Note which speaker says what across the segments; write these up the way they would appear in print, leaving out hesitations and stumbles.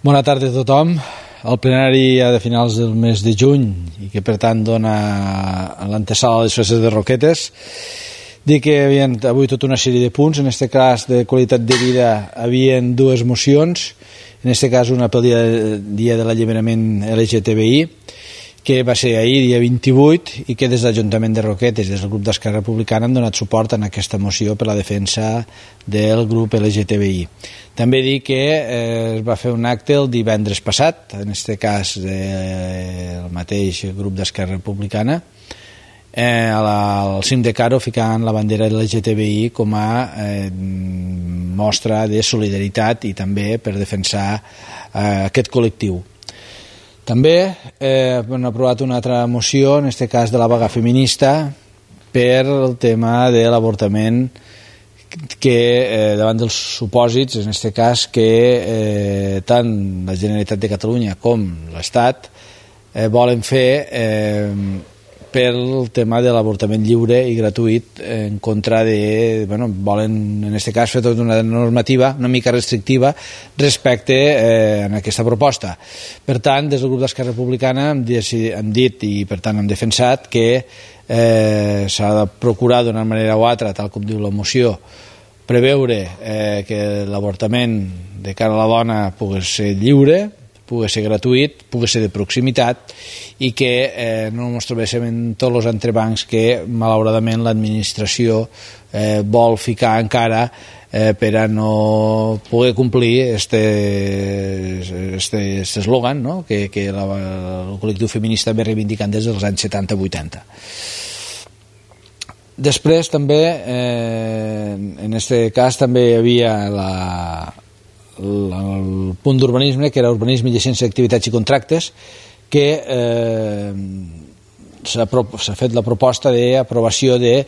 Speaker 1: Bona tarda a tothom. El plenari de finals del mes de juny i que per tant dona l'antesala a les festes de Roquetes. Dir que hi havia avui tota una sèrie de punts, en aquest cas de qualitat de vida havien dues mocions, en aquest cas una pel dia de l'alliberament LGTBI, que va ser ahir, dia 28, i que des de l'Ajuntament de Roquetes, des del grup d'Esquerra Republicana, han donat suport en aquesta moció per la defensa del grup LGTBI. També dir que es va fer un acte el divendres passat, en aquest cas el mateix grup d'Esquerra Republicana, al cim de Caro, ficant la bandera LGTBI com a mostra de solidaritat i també per defensar aquest col·lectiu. També han aprovat una altra moció, en aquest cas de la vaga feminista, per el tema de l'avortament, que davant dels supòsits, en aquest cas, que tant la Generalitat de Catalunya com l'Estat volen fer pel tema de l'avortament lliure i gratuït, en contra de... volen, en aquest cas, fer tota una normativa una mica restrictiva respecte a aquesta proposta. Per tant, des del grup d'Esquerra Republicana hem dit i per tant hem defensat que s'ha de procurar d'una manera o altra, tal com diu la moció, preveure que l'avortament de cara a la dona pugui ser lliure, pugui ser gratuït, pugui ser de proximitat i que no ens trobéssim en tots els entrebancs que malauradament l'administració vol ficar encara per a no poder complir aquest eslògan, no? que el col·lectiu feminista ve reivindicant des dels anys 70-80. Després també, en aquest cas també hi havia el punt d'urbanisme, que era urbanisme, llicència d'activitats i contractes, que s'ha fet la proposta d'aprovació de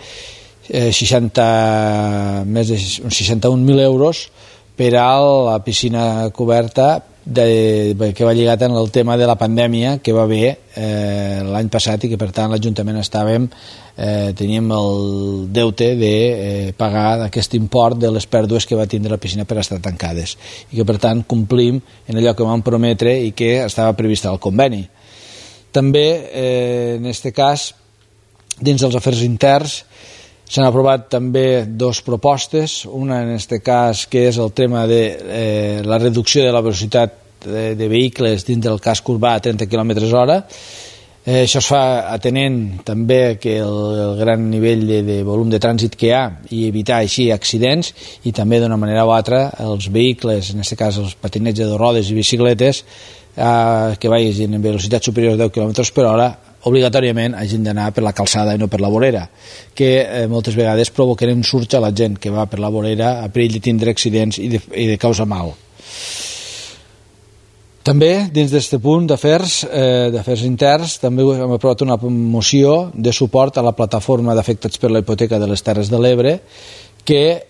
Speaker 1: més de 61.000 euros per a la piscina coberta que va lligat en el tema de la pandèmia que va haver l'any passat i que per tant l'Ajuntament teníem el deute de pagar aquest import de les pèrdues que va tindre la piscina per estar tancades i que per tant complim en allò que vam prometre i que estava previst al conveni. També en aquest cas dins dels afers interns s'han aprovat també dues propostes, una en aquest cas que és el tema de la reducció de la velocitat de vehicles dins del casc urbà a 30 km/h. Això es fa atenent també que el gran nivell de volum de trànsit que hi ha i evitar així accidents i també d'una manera o altra els vehicles, en aquest cas els patinets de rodes i bicicletes que vagin en velocitat superior a 10 km/h obligatòriament hagin d'anar per la calçada i no per la vorera, que moltes vegades provoquen un surge a la gent que va per la vorera a perill de tindre accidents i de causar mal. També, dins d'aquest punt d'afers interns, també hem aprovat una moció de suport a la plataforma d'afectats per la hipoteca de les Terres de l'Ebre, que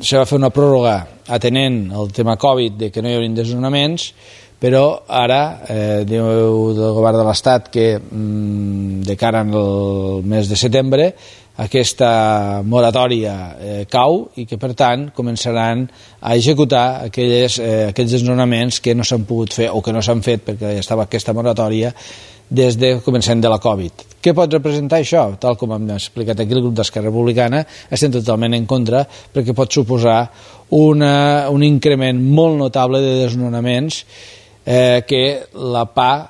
Speaker 1: se va fer una pròrroga atenent el tema Covid de que no hi haurien desnonaments, però ara diu del govern de l'Estat que de cara al mes de setembre aquesta moratòria cau i que per tant començaran a executar aquells desnonaments que no s'han pogut fer o que no s'han fet perquè estava aquesta moratòria des de començament de la Covid. Què pot representar això? Tal com hem explicat aquí el grup d'Esquerra Republicana, estem totalment en contra perquè pot suposar un increment molt notable de desnonaments que la PA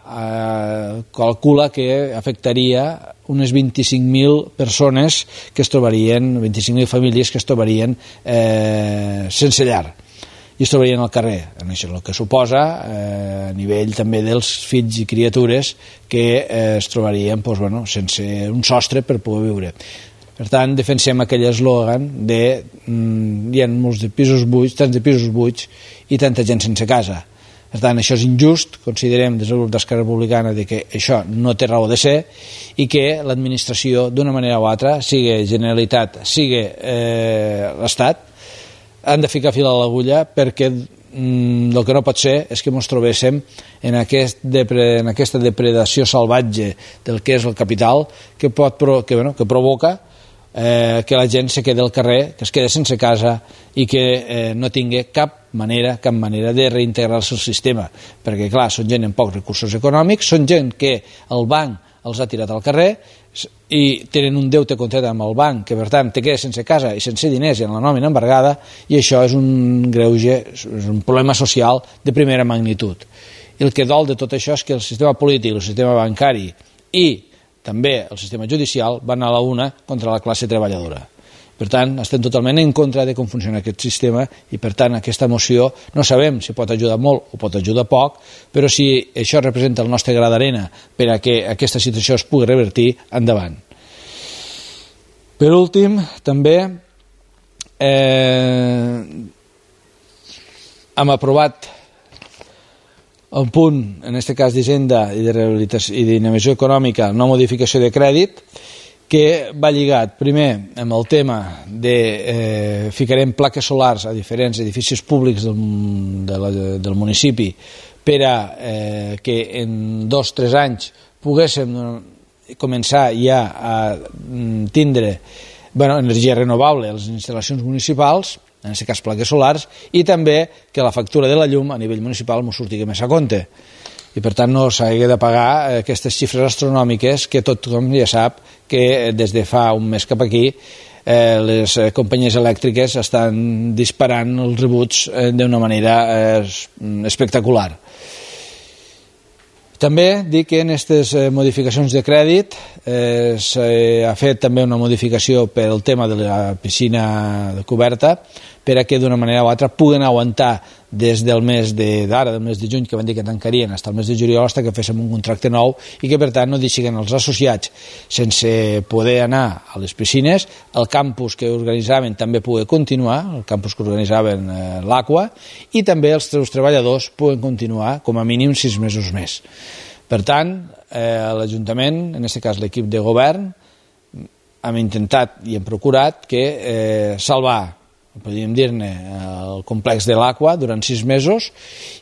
Speaker 1: calcula que afectaria unes 25.000 persones que es trobarien, 25.000 famílies que es trobarien sense llar i es trobarien al carrer. Això és el que suposa a nivell també dels fills i criatures que es trobarien sense un sostre per poder viure. Per tant, defensem aquell eslògan de hi ha molts de pisos buits, tants de pisos buits i tanta gent sense casa. Per tant, això és injust, considerem des del grup d'Esquerra Republicana que això no té raó de ser i que l'administració, d'una manera o altra, sigui Generalitat, sigui l'Estat, han de ficar fil a l'agulla perquè el que no pot ser és que ens trobéssim en aquesta depredació salvatge del que és el capital que provoca que la gent se quedi al carrer, que es quedi sense casa i que no tingui cap cap manera de reintegrar-se al sistema, perquè clar, són gent amb pocs recursos econòmics, són gent que el banc els ha tirat al carrer i tenen un deute contret amb el banc, que per tant te quedes sense casa i sense diners i amb la nòmina embargada, i això és un greuge, és un problema social de primera magnitud. I el que dol de tot això és que el sistema polític, el sistema bancari i també el sistema judicial van a la una contra la classe treballadora. Per tant, estem totalment en contra de com funciona aquest sistema i, per tant, aquesta moció no sabem si pot ajudar molt o pot ajudar poc, però si això representa el nostre gra d'arena per a que aquesta situació es pugui revertir, endavant. Per últim, també hem aprovat un punt, en aquest cas d'Hisenda i de rehabilitació i d'innovació econòmica, una modificació de crèdit, que va lligat primer amb el tema de ficarem plaques solars a diferents edificis públics del municipi per a que en 2 o 3 anys poguéssim començar ja a tindre energia renovable a les instal·lacions municipals, en aquest cas plaques solars, i també que la factura de la llum a nivell municipal ens surti més a compte i per tant no s'hagi de pagar aquestes xifres astronòmiques que tothom ja sap que des de fa un mes cap aquí les companyies elèctriques estan disparant els rebuts d'una manera espectacular. També dic que en aquestes modificacions de crèdit s'ha fet també una modificació per al tema de la piscina coberta per a que d'una manera o altra puguen aguantar des del mes d'ara, del mes de juny, que van dir que tancarien, fins al mes de juliol, fins que féssim un contracte nou i que per tant no deixin els associats sense poder anar a les piscines, el campus que organitzaven també pugui continuar, el campus que organitzaven l'Aqua, i també els seus treballadors puguen continuar com a mínim 6 mesos més. Per tant, l'Ajuntament, en aquest cas l'equip de govern, hem intentat i hem procurat que salvar, podríem dir-ne, el complex de l'Aqua durant 6 mesos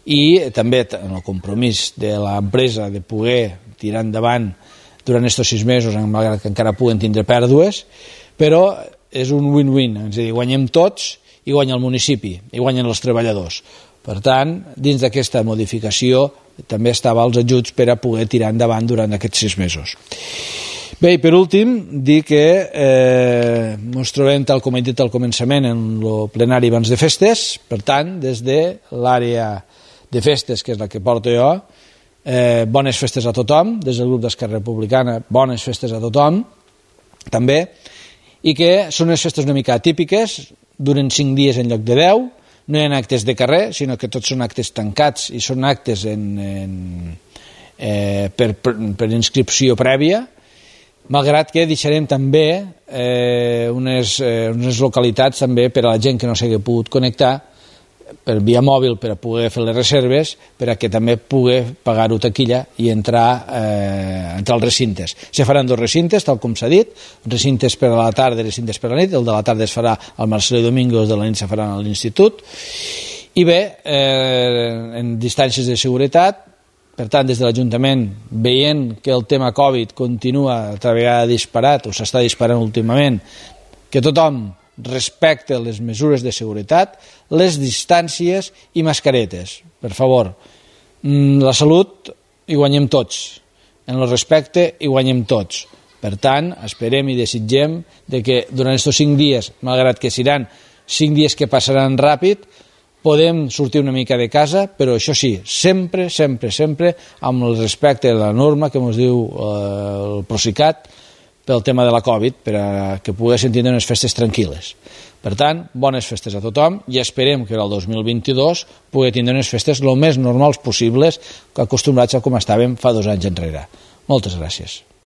Speaker 1: i també en el compromís de l'empresa de poder tirar endavant durant aquests 6 mesos, malgrat que encara puguen tindre pèrdues, però és un win-win, és a dir, guanyem tots i guanya el municipi i guanyen els treballadors. Per tant, dins d'aquesta modificació també estava els ajuts per a poder tirar endavant durant aquests 6 mesos. Bé, i per últim, dir que ens trobem, tal com he dit al començament, en el plenari abans de festes. Per tant, des de l'àrea de festes, que és la que porto jo, bones festes a tothom, des del grup d'Esquerra Republicana, bones festes a tothom, també, i que són unes festes una mica atípiques, duren 5 dies en lloc de 10, no hi ha actes de carrer, sinó que tots són actes tancats i són actes per inscripció prèvia, malgrat que deixarem també unes localitats també per a la gent que no s'hagi pogut connectar per via mòbil per a poder fer les reserves, per a que també pugui pagar-ho taquilla i entrar als recintes. Se faran 2 recintes, tal com s'ha dit, recintes per a la tarda i recintes per a la nit. El de la tarda es farà al Marcelo Domingo, el de la nit se farà a l'institut. I bé, en distàncies de seguretat, per tant, des de l'Ajuntament, veient que el tema Covid continua altra vegada disparat, o s'està disparant últimament, que tothom respecte les mesures de seguretat, les distàncies i mascaretes. Per favor, la salut hi guanyem tots, en el respecte hi guanyem tots. Per tant, esperem i desitgem que durant aquests 5 dies, malgrat que seran 5 dies que passaran ràpid, podem sortir una mica de casa, però això sí, sempre, sempre, sempre amb el respecte de la norma que ens diu el Procicat pel tema de la Covid, per a que poguessin tindre unes festes tranquil·les. Per tant, bones festes a tothom i esperem que el 2022 pugui tindre unes festes el més normals possibles, acostumbrats a com estàvem fa 2 anys enrere. Moltes gràcies.